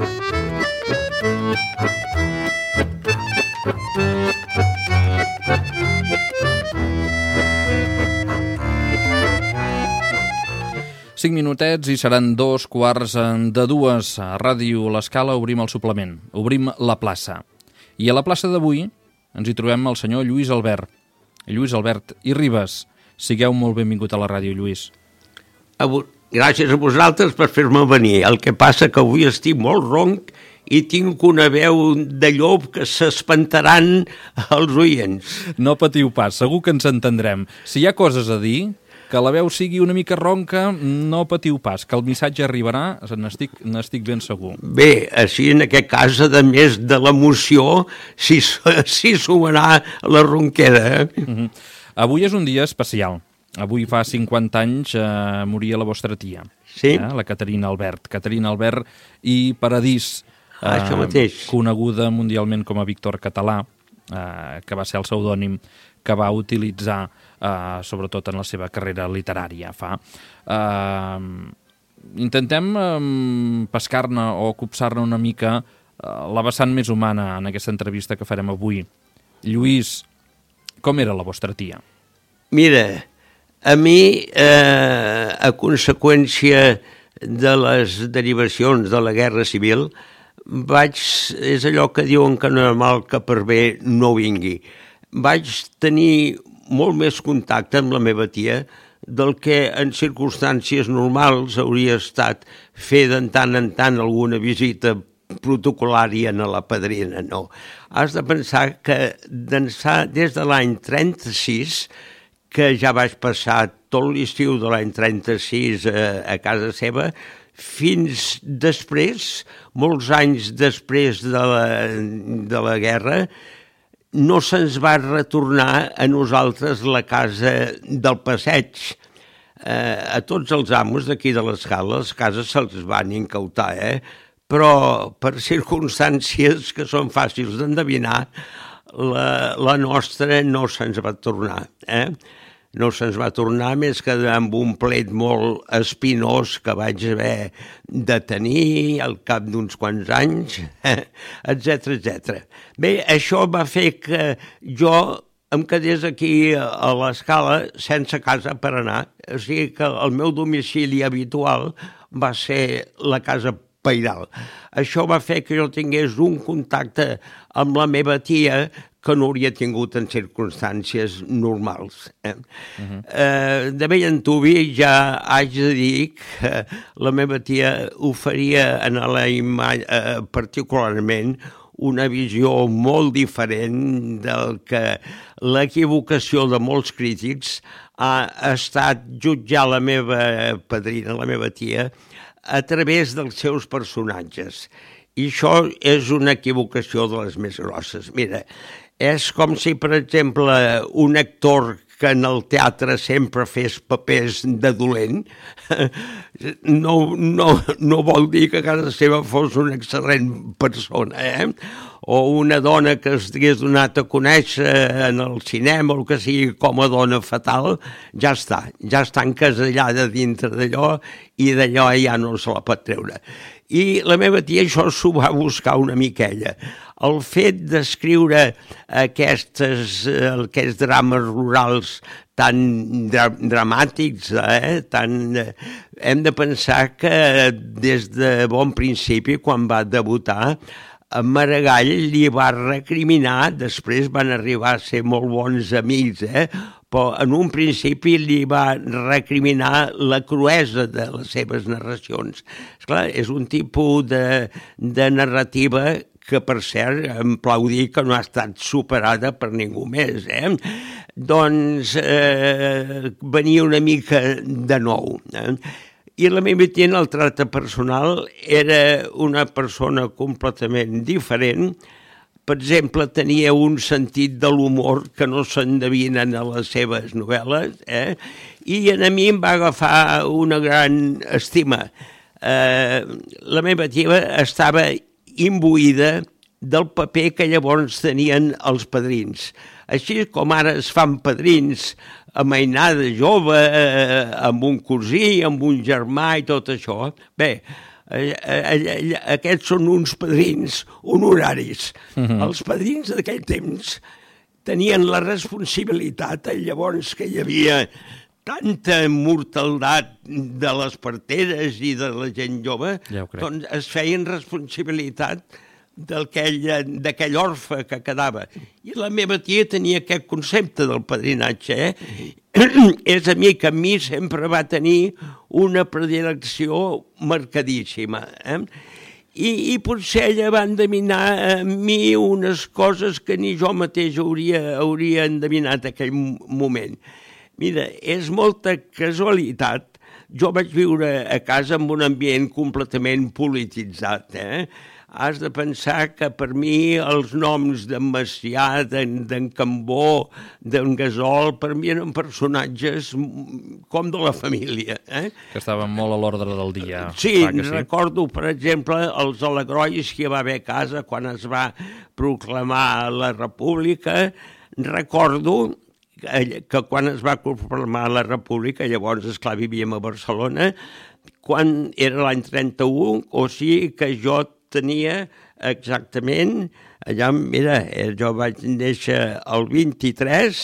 Cinc minutets i seran 2:15. A Ràdio L'Escala obrim el suplement, obrim la plaça. I a la plaça d'avui ens hi trobem el senyor Lluís Albert. Lluís Albert i Ribas, sigueu molt benvingut a la ràdio, Lluís. Gràcies a vosaltres per fer-me venir. El que passa que avui estic molt ronc i tinc una veu de llop que s'espantaran els oients. No patiu pas, segur que ens entendrem. Si hi ha coses a dir, que la veu sigui una mica ronca, no patiu pas, que el missatge arribarà, n'estic ben segur. Bé, així en aquest cas, a més de l'emoció, si sumarà la ronquera. Avui és un dia especial. Avui fa 50 anys moria la vostra tia, sí? La Caterina Albert. Caterina Albert i Paradís, això mateix. Coneguda mundialment com a Víctor Català, que va ser el pseudònim que va utilitzar sobretot en la seva carrera literària. Intentem pescar-ne o copsar-ne una mica la vessant més humana en aquesta entrevista que farem avui. Lluís, com era la vostra tia? Mira, a mi, a conseqüència de les derivacions de la Guerra Civil, és allò que diuen que no és mal que per bé no vingui. Vaig tenir molt més contacte amb la meva tia del que en circumstàncies normals hauria estat fer de tant en tant alguna visita protocolària a la padrina, no. Has de pensar que d'ençà des de l'any 36, que ja vaig passar tot l'estiu de l'any 36 a casa seva, fins després, molts anys després de la guerra, no se'ns va retornar a nosaltres la casa del passeig. A tots els amos d'aquí de l'Escala, les cases se'ls van incautar, però per circumstàncies que són fàcils d'endevinar, la nostra no se'ns va tornar, No se'ns va tornar més que amb un plet molt espinós que vaig haver de tenir al cap d'uns quants anys, etc etc. Bé, això va fer que jo em quedés aquí a l'Escala sense casa per anar. O sigui que el meu domicili habitual va ser la casa pairal. Això va fer que jo tingués un contacte amb la meva tia que no hauria tingut en circumstàncies normals. De bell antuvi ja haig de dir que la meva tia oferia en la imatge particularment una visió molt diferent del que l'equivocació de molts crítics ha estat jutjar la meva padrina, la meva tia, a través dels seus personatges. I això és una equivocació de les més grosses. Mira, és com si, per exemple, un actor que en el teatre sempre fes papers de dolent, no vol dir que a casa seva fos una excel·lent persona, O una dona que estigués donat a conèixer en el cinema o el que sigui com a dona fatal, ja està encasellada dintre d'allò i d'allò ja no se la pot treure. I la meva tia això s'ho va buscar una miquella. El fet d'escriure aquests drames rurals tan dramàtics, hem de pensar que des de bon principi, quan va debutar, Maragall li va recriminar, després van arribar a ser molt bons amics, però en un principi li va recriminar la cruesa de les seves narracions. Esclar, és un tipus de narrativa que, per cert, em plau dir que no ha estat superada per ningú més. Doncs venia una mica de nou. I la meva tia en el tracte personal era una persona completament diferent. Per exemple, tenia un sentit de l'humor que no s'endevinen a les seves novel·les, i a mi em va agafar una gran estima. La meva tia estava imbuïda del paper que llavors tenien els padrins. Així com ara es fan padrins a mainada jove, amb un cosí, amb un germà i tot això. Bé, Aquests són uns padrins honoraris. Els padrins d'aquell temps tenien la responsabilitat, llavors que hi havia tanta mortaldat de les parteres i de la gent jove, doncs es feien responsabilitat d'aquell orfe que quedava. I la meva tia tenia aquest concepte del padrinatge. És a mi que a mi sempre va tenir una predilecció marcadíssima. I potser ella va endevinar a mi unes coses que ni jo mateix hauria endevinat en aquell moment. Mira, és molta casualitat. Jo vaig viure a casa en un ambient completament polititzat. Has de pensar que per mi els noms d'en Macià, d'en Cambó, d'en Gasol, per mi eren personatges com de la família. Que estaven molt a l'ordre del dia. Sí, recordo, per exemple, els alegrois que hi va haver a casa quan es va proclamar la República. Recordo que quan es va proclamar la República, llavors, esclar, vivíem a Barcelona, quan era l'any 31, o sigui que jo tenia exactament, allà, mira, jo vaig néixer el 23,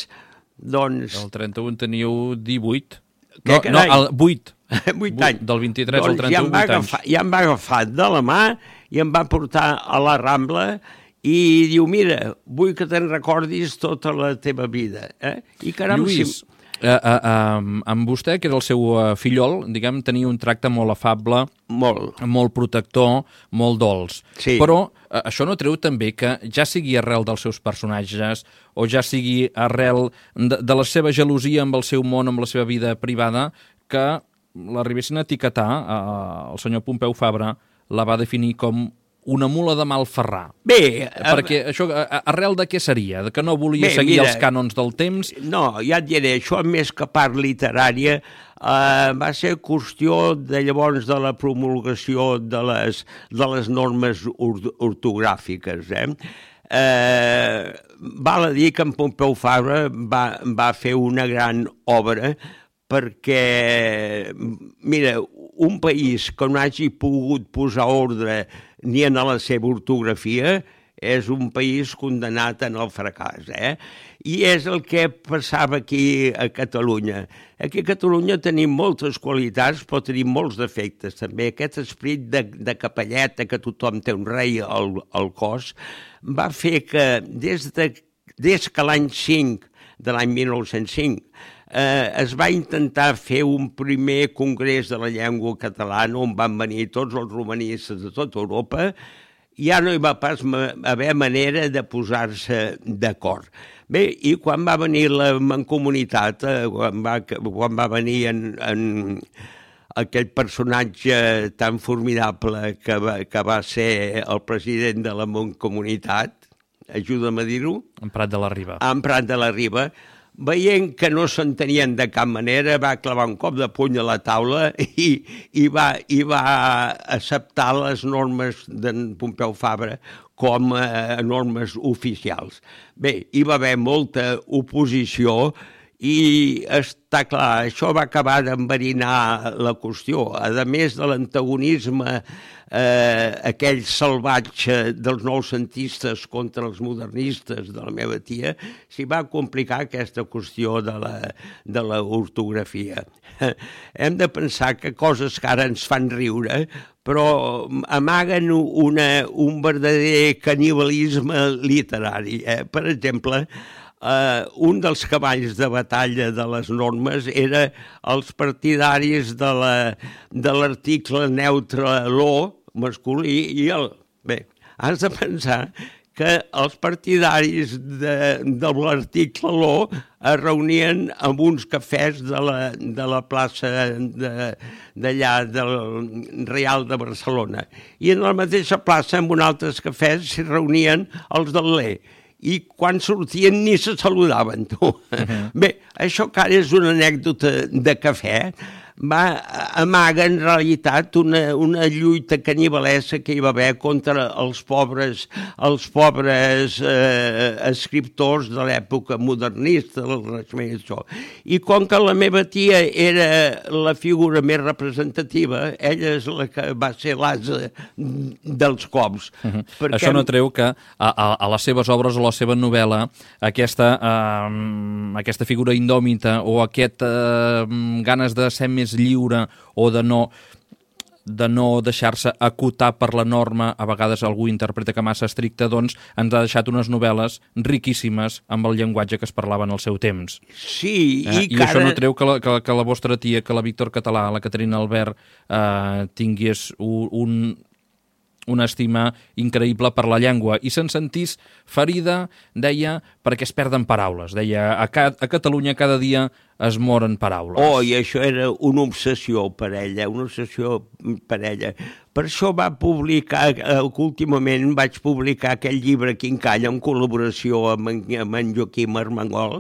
doncs... El 31 teniu 18. No, el 8. 8 anys. Del 23 al 31, 8 anys. Ja em va agafar de la mà i em va portar a la Rambla i diu, mira, vull que te'n recordis tota la teva vida. I caram, Lluís, amb vostè, que era el seu fillol, diguem, tenia un tracte molt afable, molt protector, molt dolç. Sí. Però això no treu també que ja sigui arrel dels seus personatges o ja sigui arrel de la seva gelosia amb el seu món, amb la seva vida privada, que l'arribessin a etiquetar, el senyor Pompeu Fabra la va definir com una mula de mal ferrar. Bé... Perquè això, arrel de què seria? De que no volia seguir els cànons del temps? No, ja et diré, això més que part literària va ser qüestió de llavors de la promulgació de les normes ortogràfiques. Val a dir que en Pompeu Fabra va fer una gran obra perquè, mira, un país que no hagi pogut posar ordre ni en la seva ortografia és un país condenat en el fracàs. I és el que passava aquí a Catalunya. Aquí a Catalunya tenim moltes qualitats, però tenim molts defectes també. Aquest esperit de capelleta, que tothom té un rei al cos, va fer que des que l'any 5, de l'any 1905, es va intentar fer un primer congrés de la llengua catalana on van venir tots els romanistes de tota Europa, ja no hi va pas haver manera de posar-se d'acord. Bé, i quan va venir la Mancomunitat, quan va venir en aquell personatge tan formidable que va ser el president de la Mancomunitat, ajuda'm a dir-ho. En Prat de la Riba. En Prat de la Riba. Veient que no s'entenien de cap manera, va clavar un cop de puny a la taula i va acceptar les normes d'en Pompeu Fabra com a normes oficials. Bé, hi va haver molta oposició i està clar, això va acabar d'enverinar la qüestió. A més de l'antagonisme aquell salvatge dels noucentistes contra els modernistes de la meva tia, s'hi va complicar aquesta qüestió de la ortografia. Hem de pensar que coses que ara ens fan riure, però amaguen un verdader canibalisme literari. Per exemple, un dels cavalls de batalla de les normes era els partidaris de l'article neutre lo, masculí, i el... Bé, has de pensar que els partidaris de l'article lo es reunien en uns cafès de la plaça d'allà del Real de Barcelona. I en la mateixa plaça, en uns altres cafès, s'hi reunien els del Lé. I quan sortien ni se saludaven, tu. Bé, això que ara és una anècdota de cafè, amaga en realitat una lluita canibalesa que hi va haver contra els pobres escriptors de l'època modernista, del Renaixement i això. I com que la meva tia era la figura més representativa, ella és la que va ser l'ase dels cops. Perquè... Això no treu que a les seves obres o a la seva novel·la aquesta figura indòmita o ganes de ser més lliure o de no deixar-se acotar per la norma, a vegades algú interpreta que massa estricta, doncs ens ha deixat unes novel·les riquíssimes amb el llenguatge que es parlava en el seu temps. Sí, I això no treu que la vostra tia, que la Víctor Català, la Caterina Albert, tingués una estima increïble per la llengua i se'n sentís ferida, deia, perquè es perden paraules. Deia, a Catalunya cada dia es moren paraules. I això era una obsessió per ella, Per això va publicar, últimament vaig publicar aquell llibre Quincalla en col·laboració amb en Joaquim Armengol,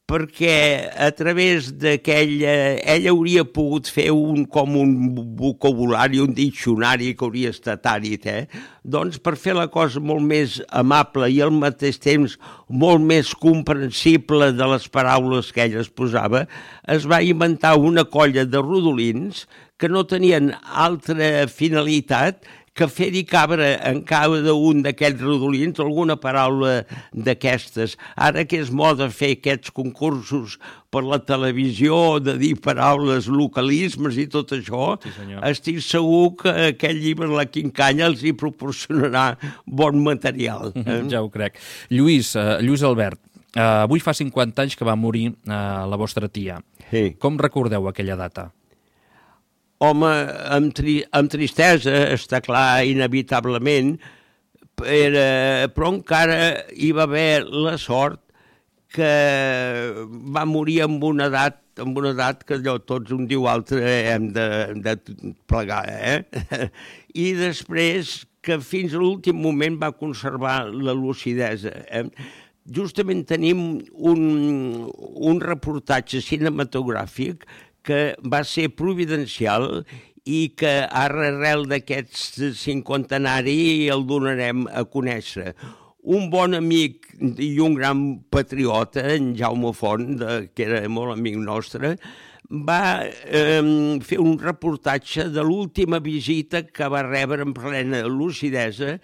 perquè a través ella hauria pogut fer com un vocabulari, un diccionari que hauria estat àrid, doncs per fer la cosa molt més amable i al mateix temps molt més comprensible de les paraules que ella es posava, es va inventar una colla de rodolins que no tenien altra finalitat que fer-hi cabre en cada un d'aquests rodolins alguna paraula d'aquestes. Ara que és moda fer aquests concursos per la televisió, de dir paraules, localismes i tot això, sí, estic segur que aquest llibre, La Quincalla, els hi proporcionarà bon material. Ja ho crec. Lluís Albert, avui fa 50 anys que va morir la vostra tia. Sí. Com recordeu aquella data? Home, amb tristesa, està clar, inevitablement, però encara hi va haver la sort que va morir amb una edat que allò tots un diu altre hem de plegar, I després que fins a l'últim moment va conservar la lucidesa, Justament tenim un reportatge cinematogràfic que va ser providencial i que ara, arrel d'aquest cinquantenari, el donarem a conèixer. Un bon amic i un gran patriota, en Jaume Font, que era molt amic nostre, va fer un reportatge de l'última visita que va rebre en plena lucidesa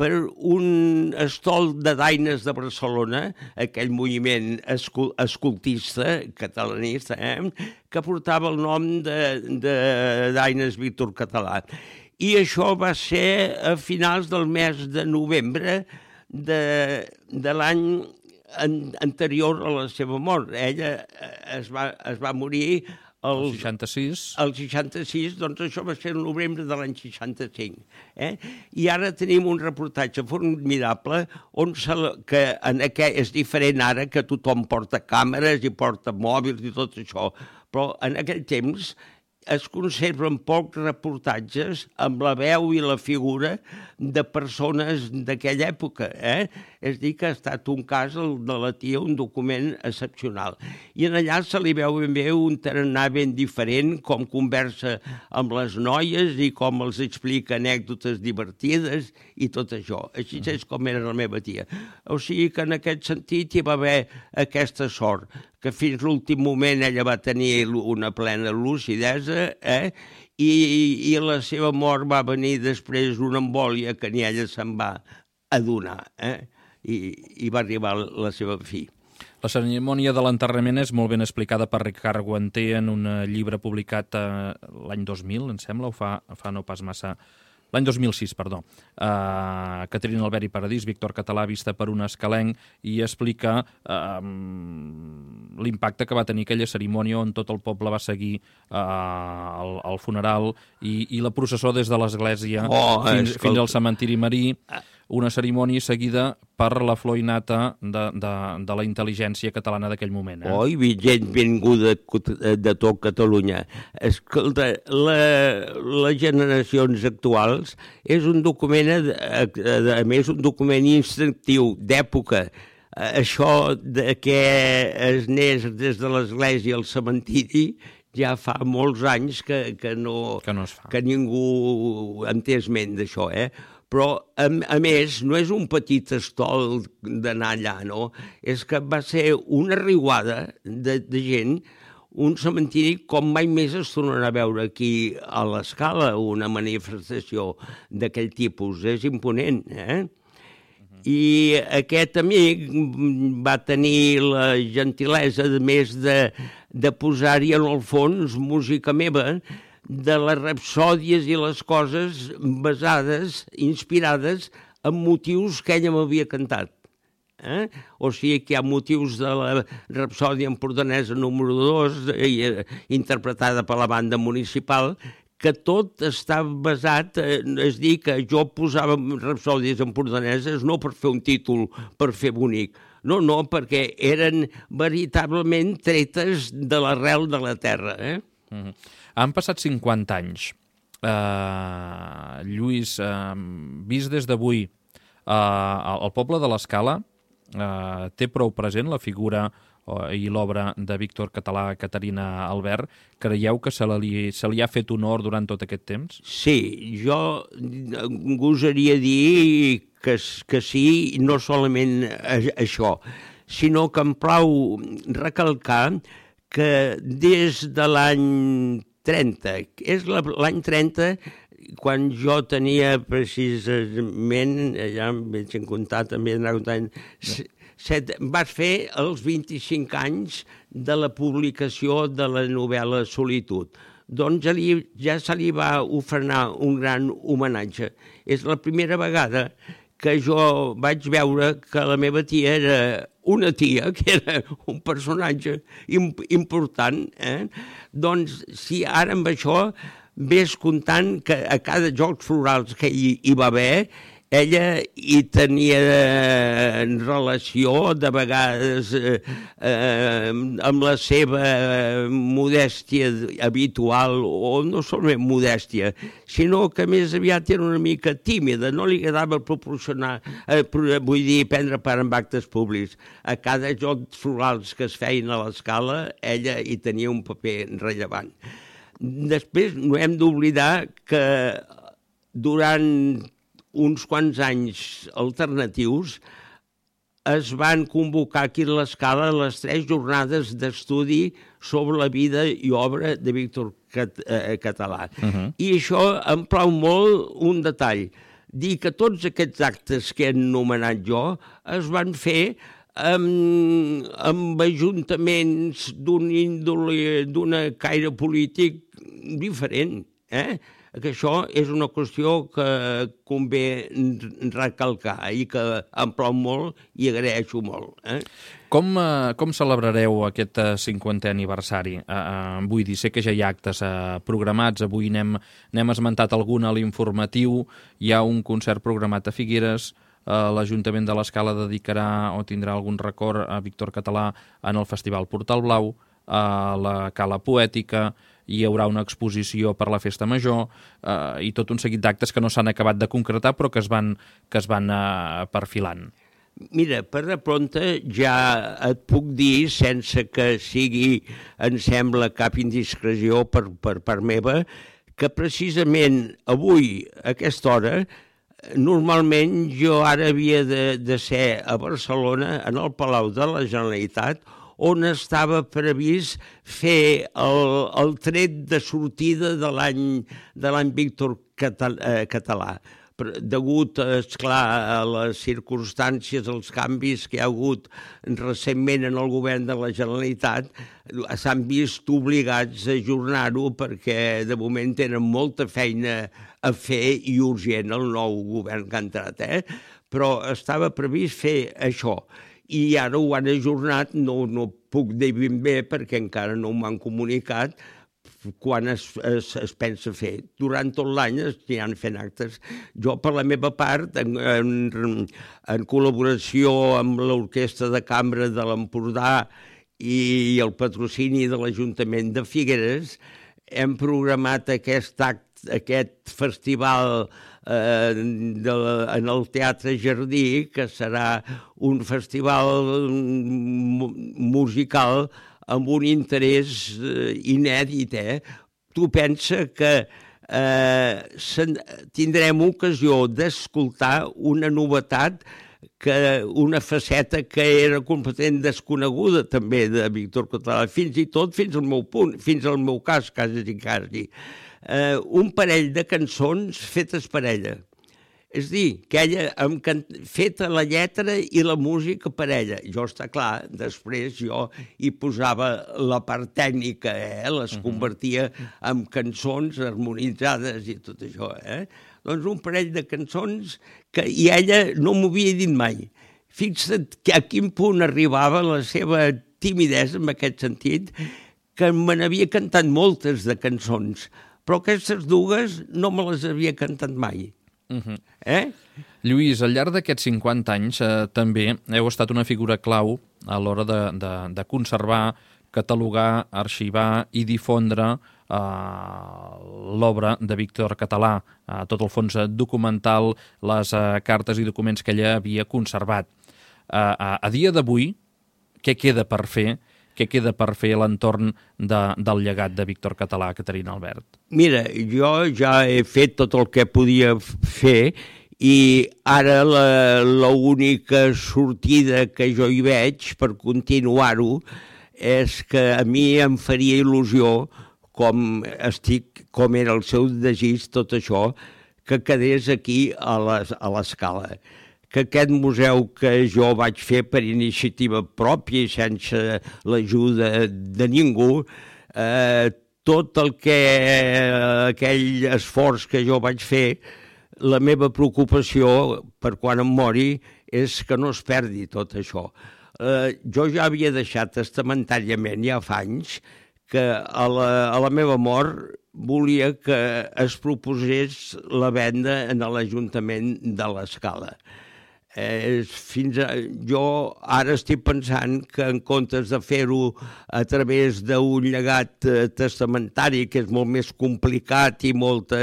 per un estol de daines de Barcelona, aquell moviment escoltista, catalanista, que portava el nom de Daines Víctor Català. I això va ser a finals del mes de novembre de l'any anterior a la seva mort. Ella es va morir el 66. El 66, doncs això va ser el novembre de l'any 65. I ara tenim un reportatge formidable que és diferent ara, que tothom porta càmeres i porta mòbils i tot això, però en aquell temps es conserven pocs reportatges amb la veu i la figura de persones d'aquella època. És a dir, que ha estat un cas, el de la tia, un document excepcional. I en allà se li veu ben bé un tarannà ben diferent, com conversa amb les noies i com els explica anècdotes divertides i tot això. Així és com era la meva tia. O sigui que en aquest sentit hi va haver aquesta sort, que fins l'últim moment ella va tenir una plena lucidesa, i la seva mort va venir després d'una embòlia que ni ella se'n va adonar, i va arribar la seva fi. La cerimònia de l'enterrament és molt ben explicada per Ricard Guanter en un llibre publicat l'any 2000, em sembla, o fa no pas massa... L'any 2006, perdó. Caterina Albert i Paradís, Víctor Català, vista per un escalenc, i explica l'impacte que va tenir aquella cerimònia on tot el poble va seguir el funeral i la processó des de l'església fins al cementiri marí, una cerimònia seguida per la flor innata de la intel·ligència catalana d'aquell moment. I gent vinguda de tot Catalunya. Escolta, les generacions actuals és un document, a més, un document instinctiu, d'època. Això que es anés des de l'església al cementiri ja fa molts anys que no es fa. Que ningú en té esment d'això, Però, a més, no és un petit estol d'anar allà, no? És que va ser una riuada de gent, un cementiri com mai més es tornarà a veure aquí a l'Escala, una manifestació d'aquell tipus. És imponent, I aquest amic va tenir la gentilesa, a més de posar-hi en el fons música meva, de les rapsòdies i les coses basades, inspirades en motius que ella m'havia cantat. O sigui que hi ha motius de la rapsòdia empordanesa número 2, interpretada per la banda municipal, que tot està basat, és dir, que jo posava rapsòdies empordaneses no per fer un títol, per fer bonic, no, perquè eren veritablement tretes de l'arrel de la terra, Han passat 50 anys. Lluís, vist des d'avui, el poble de l'Escala té prou present la figura i l'obra de Víctor Català, Caterina Albert. Creieu que se li ha fet honor durant tot aquest temps? Sí, jo gosaria dir que sí, no solament això, sinó que em plau recalcar que des de l'any 30, és l'any 30, quan jo tenia precisament, ja em veig en comptar, també anar comptant, vaig fer els 25 anys de la publicació de la novel·la Solitud. Doncs ja se li va ofrenar un gran homenatge. És la primera vegada que jo vaig veure que la meva tia era una tia, que era un personatge important, Doncs, si ara amb això ves comptant que a cada Jocs Florals que hi va haver, ella hi tenia relació, de vegades, amb la seva modèstia habitual, o no solament modèstia, sinó que més aviat era una mica tímida, no li agradava proporcionar, prendre part en actes públics. A cada Jocs Florals que es feien a l'Escala, ella hi tenia un paper rellevant. Després no hem d'oblidar que durant uns quants anys alternatius es van convocar aquí a l'Escala les 3 jornades d'estudi sobre la vida i obra de Víctor Català. I això em plau molt un detall, dir que tots aquests actes que he anomenat jo es van fer amb ajuntaments d'un índole, d'una caire polític diferent, que això és una qüestió que convé recalcar i que em plau molt i agraeixo molt. Com celebrareu aquest 50è aniversari? Vull dir, sé que ja hi ha actes programats, avui n'hem esmentat algun a l'informatiu, hi ha un concert programat a Figueres, l'Ajuntament de l'Escala dedicarà o tindrà algun record a Víctor Català en el Festival Portal Blau, a la Cala Poètica, hi haurà una exposició per la Festa Major i tot un seguit d'actes que no s'han acabat de concretar però que es van perfilant. Mira, per de prompte ja et puc dir, sense que sigui, em sembla, cap indiscreció per part meva, que precisament avui, a aquesta hora, normalment jo ara havia de ser a Barcelona, en el Palau de la Generalitat, on estava previst fer el tret de sortida de l'any Víctor Català. Degut, esclar, a les circumstàncies, als canvis que hi ha hagut recentment en el govern de la Generalitat, s'han vist obligats a ajornar-ho perquè de moment tenen molta feina a fer i urgent el nou govern que ha entrat, però estava previst fer això. I ara ho han ajornat, no puc dir ben bé perquè encara no m'han comunicat quan es pensa fer. Durant tot l'any s'hi han fet actes. Jo, per la meva part, en col·laboració amb l'Orquestra de Cambra de l'Empordà i el patrocini de l'Ajuntament de Figueres, hem programat aquest festival en el Teatre Jardí, que serà un festival musical amb un interès inèdit, Tu pensa que tindrem ocasió d'escoltar una novetat, una faceta que era completament desconeguda també de Víctor Català, fins i tot fins al meu cas, quasi. Un parell de cançons fetes per ella. És dir, que ella feta la lletra i la música per ella. Jo, està clar, després jo hi posava la part tècnica, les convertia en cançons harmonitzades i tot això. Doncs un parell de cançons i ella no m'ho havia dit mai. Fixa't a quin punt arribava la seva timidesa en aquest sentit, que me n'havia cantat moltes de cançons, però aquestes dues no me les havia cantat mai. Lluís, al llarg d'aquests 50 anys també heu estat una figura clau a l'hora de conservar, catalogar, arxivar i difondre l'obra de Víctor Català, tot el fons documental, les cartes i documents que ella havia conservat. A dia d'avui, què queda per fer? Què queda per fer a l'entorn del llegat de Víctor Català, Caterina Albert? Mira, jo ja he fet tot el que podia fer i ara l'única sortida que jo hi veig per continuar-ho és que a mi em faria il·lusió, com era el seu desig, tot això, que quedés aquí a l'Escala. Que aquest museu que jo vaig fer per iniciativa pròpia i sense l'ajuda de ningú, tot aquell esforç que jo vaig fer, la meva preocupació per quan em mori és que no es perdi tot això. Jo ja havia deixat testamentàriament ja fa anys que a la meva mort volia que es proposés la venda en l'Ajuntament de l'Escala. Jo ara estic pensant que en comptes de fer-ho a través d'un llegat testamentari, que és molt més complicat i molt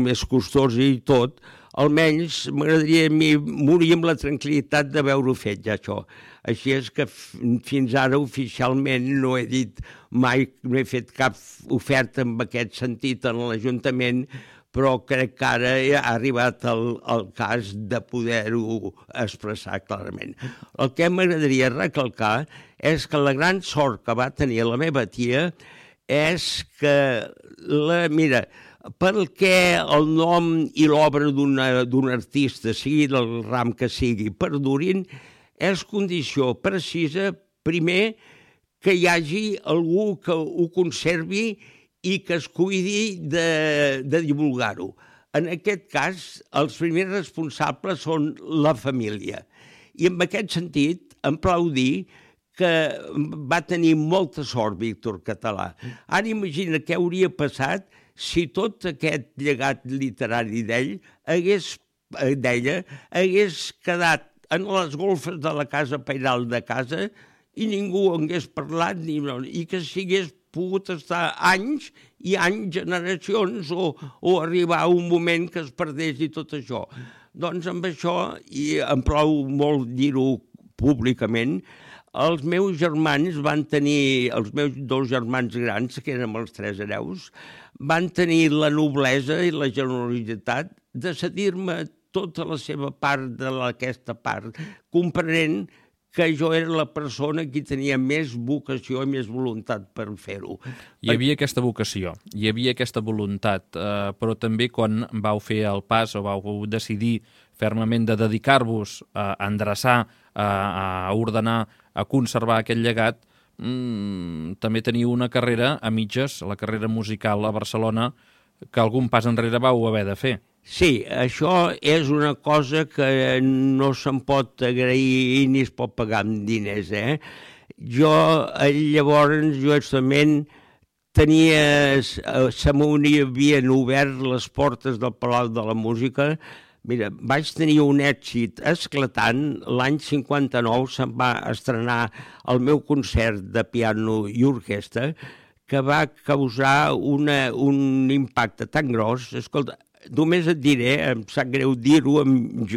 més costós i tot, almenys m'agradaria morir amb la tranquil·litat d'haver-ho fet ja això. Així és que fins ara oficialment no he dit mai, no he fet cap oferta en aquest sentit en l'Ajuntament, però crec que ara ha arribat el cas de poder-ho expressar clarament. El que m'agradaria recalcar és que la gran sort que va tenir la meva tia és que, mira, perquè el nom i l'obra d'un artista, sigui del ram que sigui, perdurin, és condició precisa, primer, que hi hagi algú que ho conservi i que es cuidi de divulgar-ho. En aquest cas, els primers responsables són la família. I en aquest sentit, em plau dir que va tenir molta sort Víctor Català. Ara imagina què hauria passat si tot aquest llegat literari d'ella hagués quedat en les golfes de la casa pairal de casa i ningú hagués parlat i que s'hagués pogut estar anys i anys, generacions, o arribar a un moment que es perdés i tot això. Doncs amb això, i em plau molt dir-ho públicament, els meus germans van tenir, els meus dos germans grans, que eren els 3 hereus, van tenir la noblesa i la generositat de cedir-me tota la seva part d'aquesta part, comprenent que jo era la persona que tenia més vocació i més voluntat per fer-ho. Hi havia aquesta vocació, hi havia aquesta voluntat, però també quan vau fer el pas o vau decidir fermament de dedicar-vos a endreçar, a ordenar, a conservar aquest llegat, també teniu una carrera a mitges, la carrera musical a Barcelona, que algun pas enrere vau haver de fer. Sí, això és una cosa que no se'n pot agrair ni es pot pagar amb diners, Llavors, justament, se m'havien obert les portes del Palau de la Música. Mira, vaig tenir un èxit esclatant. L'any 59 se'm va estrenar el meu concert de piano i orquestra, que va causar un impacte tan gros. Escolta, només et diré, em sap greu dir-ho,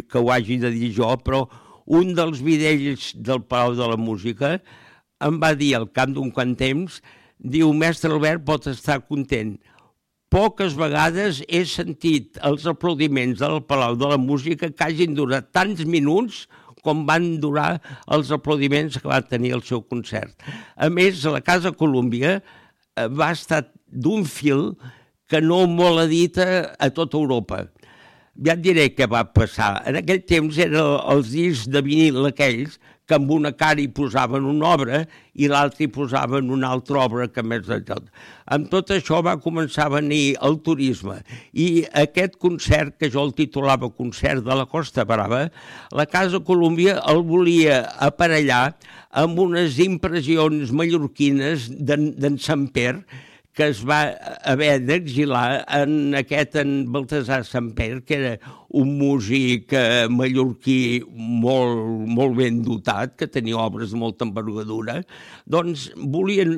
que ho hagi de dir jo, però un dels bidells del Palau de la Música em va dir al cap d'un quant temps, diu, mestre Albert pot estar content. Poques vegades he sentit els aplaudiments del Palau de la Música que hagin durat tants minuts com van durar els aplaudiments que va tenir el seu concert. A més, la Casa Colúmbia va estar d'un fil que no molt edita a tota Europa. Ja et diré què va passar. En aquell temps eren els discs de vinil aquells que amb una cara hi posaven una obra i l'altra hi posaven una altra obra que més de tot. Amb tot això va començar a venir el turisme i aquest concert, que jo el titulava Concert de la Costa Brava, la Casa Colúmbia el volia aparellar amb unes impressions mallorquines d'en Samper, que es va haver d'exilar en Baltasar Samper, que era un músic mallorquí molt ben dotat, que tenia obres de molta envergadura. Doncs volien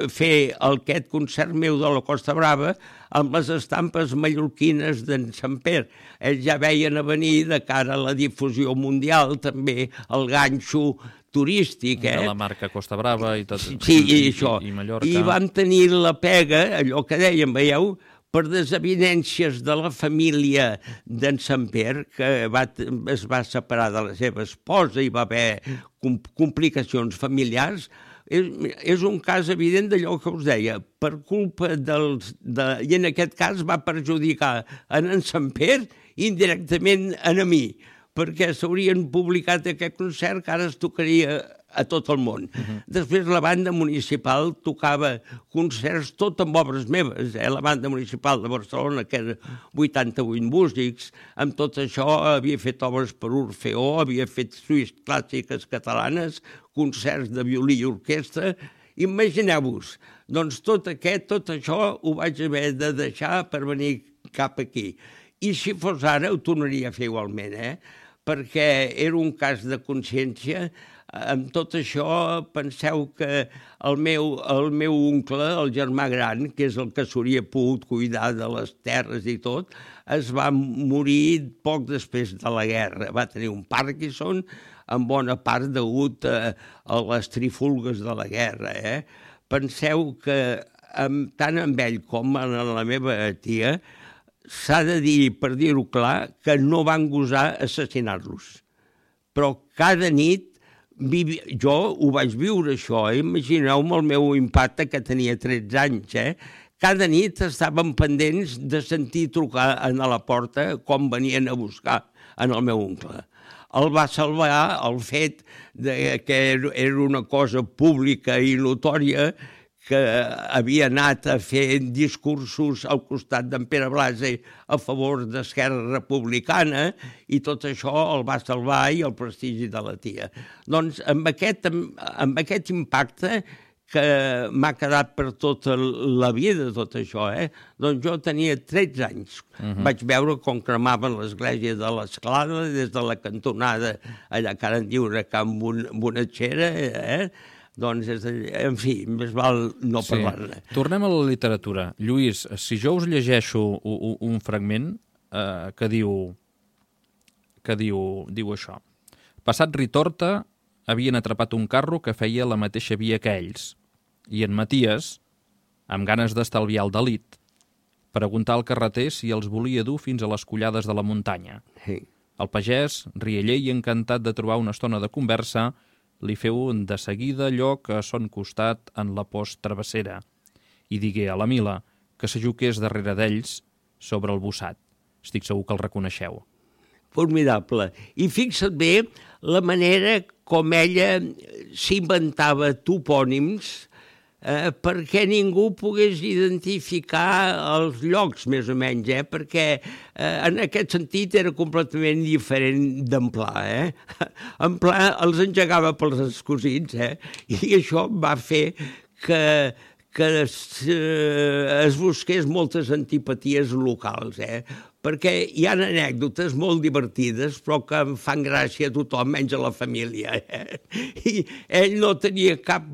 fer aquest concert meu de la Costa Brava amb les estampes mallorquines d'en Samper. Ells ja veien a venir de cara a la difusió mundial també el ganxo turístic, de la marca Costa Brava i tot. Sí, i això. I Mallorca. I vam tenir la pega, allò que dèiem, veieu, per desavinències de la família d'en Samper, que es va separar de la seva esposa i va haver complicacions familiars. És un cas evident d'allò que us deia, per culpa i en aquest cas va perjudicar en Samper indirectament a mi, perquè s'haurien publicat aquest concert que ara es tocaria a tot el món. Després la banda municipal tocava concerts tot amb obres meves, la banda municipal de Barcelona, que era 88 músics, amb tot això havia fet obres per Orfeó, havia fet suïs clàssiques catalanes, concerts de violí i orquestra. Imagineu-vos, doncs tot això ho vaig haver de deixar per venir cap aquí. I si fos ara ho tornaria a fer igualment, perquè era un cas de consciència. Amb tot això, penseu que el meu oncle, el germà gran, que és el que s'hauria pogut cuidar de les terres i tot, es va morir poc després de la guerra. Va tenir un Parkinson, en bona part degut a les trifulgues de la guerra. Penseu que tant amb ell com amb la meva tia s'ha de dir, per dir-ho clar, que no van gosar assassinar-los. Però cada nit, jo ho vaig viure això, imagineu-me el meu impacte, que tenia 13 anys, cada nit estàvem pendents de sentir trucar a la porta com venien a buscar en el meu oncle. El va salvar el fet que era una cosa pública i notòria, que havia anat a fer discursos al costat d'en Pere Blasi a favor d'Esquerra Republicana, i tot això el va salvar i el prestigi de la tia. Doncs amb aquest impacte que m'ha quedat per tota la vida, tot això, doncs jo tenia 13 anys. Vaig veure com cremaven l'església de l'Esclada des de la cantonada allà que ara en diuen Can Bonatxera, doncs, en fi, més val no parlar-ne. Tornem a la literatura. Lluís, si jo us llegeixo un fragment que diu això. Passat Ritorta, havien atrapat un carro que feia la mateixa via que ells, i en Maties, amb ganes d'estalviar el delit, preguntà al carreter si els volia dur fins a les collades de la muntanya. El pagès, rieller i encantat de trobar una estona de conversa, li feu de seguida lloc a son costat en la post travessera i digué a la Mila que s'ajuqués darrere d'ells sobre el bossat. Estic segur que el reconeixeu. Formidable. I fixa't bé la manera com ella s'inventava topònims perquè ningú pogués identificar els llocs, més o menys, perquè en aquest sentit era completament diferent d'en Pla. En Pla els engegava pels escosits, i això va fer que es busqués moltes antipaties locals, perquè hi ha anècdotes molt divertides però que em fan gràcia a tothom, menys a la família. I ell no tenia cap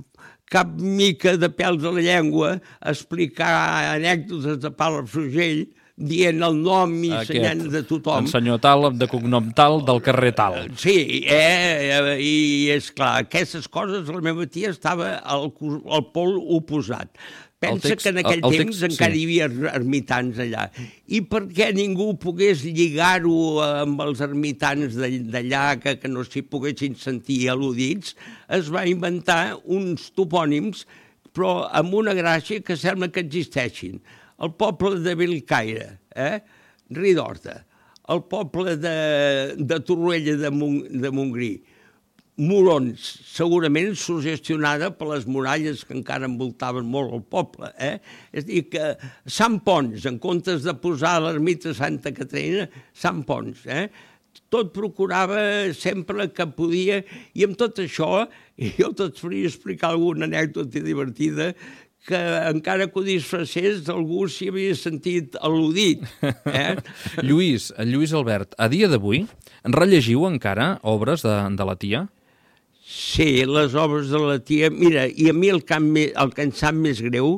mica de pèls a la llengua a explicar anècdotes de Palafrugell dient el nom i ensenyant de tothom. En senyor tal, de cognom tal, del carrer tal. Sí, i és clar, aquestes coses la meva tia estava al pol oposat. Pensa que en aquell temps encara hi havia ermitans allà. I perquè ningú pogués lligar-ho amb els ermitans d'allà, que no s'hi poguessin sentir al·ludits, es va inventar uns topònims, però amb una gràcia que sembla que existeixin. El poble de Bellcaire, Ridorta, el poble de Torroella de Montgrí, Morons, segurament suggestionada per les muralles que encara envoltaven molt el poble. És a dir, que Sant Pons, en comptes de posar l'ermita Santa Caterina, Sant Pons. Tot procurava sempre que podia, i amb tot això, jo tots faria explicar alguna anècdota divertida, que encara que ho disfressés, algú s'hi havia sentit al·ludit. Lluís Albert, a dia d'avui, rellegiu encara obres de la tia? Sí, les obres de la tia... Mira, i a mi el que em sap més greu,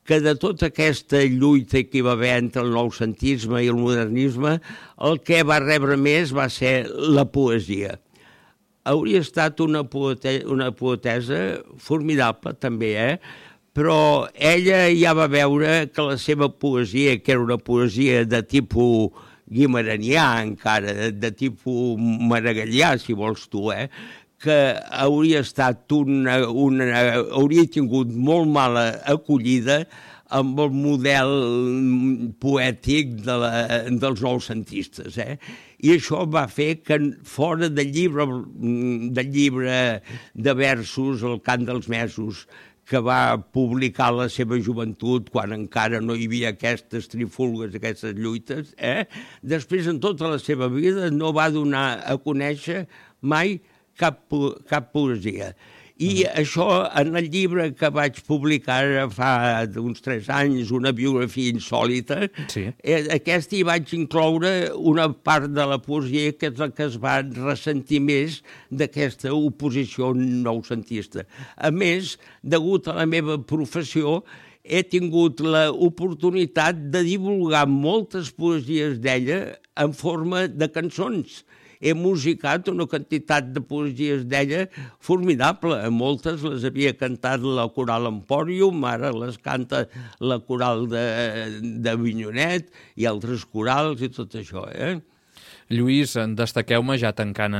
que de tota aquesta lluita que hi va haver entre el noucentisme i el modernisme, el que va rebre més va ser la poesia. Hauria estat una poetesa formidable, també, però ella ja va veure que la seva poesia, que era una poesia de tipus guimaranià encara, de tipus maragallà, si vols tu, que hauria estat hauria tingut molt mala acollida amb el model poètic dels noucentistes. I això va fer que fora del llibre de versos, El cant dels mesos, que va publicar la seva joventut quan encara no hi havia aquestes trifulgues, aquestes lluites, després en tota la seva vida no va donar a conèixer mai cap poesia. I això, en el llibre que vaig publicar fa uns 3 anys, una biografia insòlita, aquesta hi vaig incloure una part de la poesia que és la que es va ressentir més d'aquesta oposició noucentista. A més, degut a la meva professió, he tingut l'oportunitat de divulgar moltes poesies d'ella en forma de cançons. He musicat una quantitat de poesies d'ella formidable. Moltes les havia cantat la Coral Empòrium, ara les canta la Coral d'Avinyonet i altres corals i tot això. Lluís, destaqueu-me ja tancant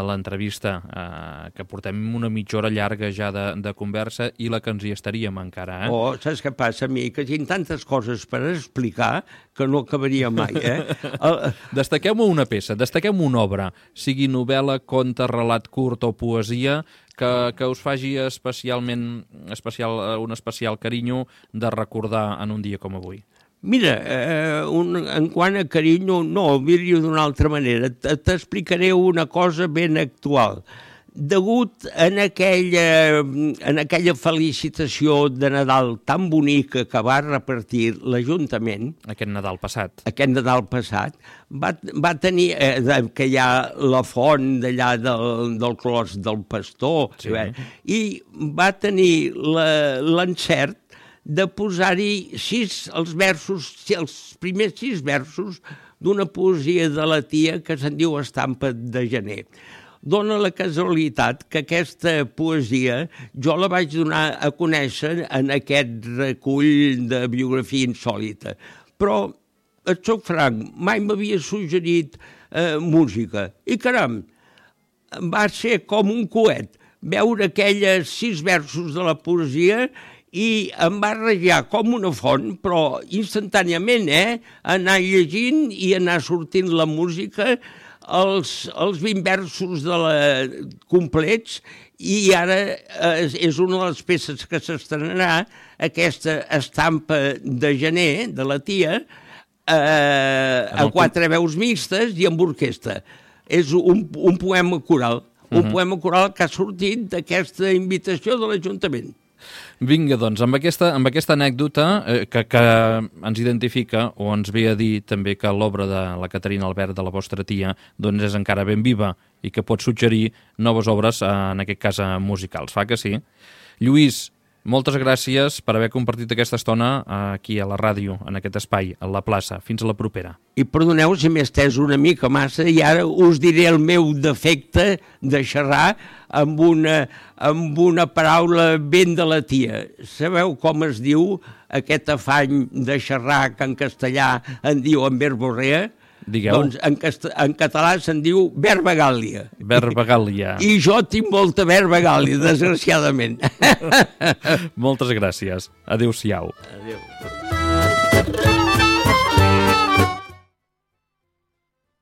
l'entrevista, que portem una mitja hora llarga ja de conversa i la que ens hi estaríem encara. Saps què passa a mi? Que tinc tantes coses per explicar que no acabaria mai. Destaqueu-me una peça, destaqueu-me una obra, sigui novel·la, conte, relat curt o poesia, que us faci un especial carinyo de recordar en un dia com avui. Mira, en quant a carinyo, no, miri-ho d'una altra manera. T'explicaré una cosa ben actual. Degut en aquella felicitació de Nadal tan bonica que va repartir l'Ajuntament... Aquest Nadal passat, va tenir, que hi ha la font d'allà del Clos del Pastor, i va tenir l'encert de posar-hi els primers 6 versos d'una poesia de la tia que se'n diu Estampa de gener. Dóna la casualitat que aquesta poesia jo la vaig donar a conèixer en aquest recull de biografia insòlita. Però, et soc franc, mai m'havia suggerit música. I caram, va ser com un coet veure aquelles 6 versos de la poesia i em va rajar com una font, però instantàniament, anar llegint i anar sortint la música, els 20 versos complets, i ara és una de les peces que s'estrenarà, aquesta Estampa de gener de la tia, a 4 veus mixtes i amb orquestra. És un poema coral, poema coral que ha sortit d'aquesta invitació de l'Ajuntament. Vinga, doncs, amb aquesta anècdota que ens identifica o ens ve a dir també que l'obra de la Caterina Albert, de la vostra tia, doncs és encara ben viva i que pot suggerir noves obres, en aquest cas musicals. Fa que sí? Lluís, Moltes gràcies per haver compartit aquesta estona aquí a la ràdio, en aquest espai, a la plaça. Fins a la propera. I perdoneu si m'he estès una mica massa i ara us diré el meu defecte de xerrar amb una paraula ben de la tia. Sabeu com es diu aquest afany de xerrar que en castellà en diuen verborrea? Digueu. Doncs en català se'n diu verbagàlia. Verbagàlia. I jo tinc molta verbagàlia, desgraciadament. Moltes gràcies. Adéu-siau. Adéu.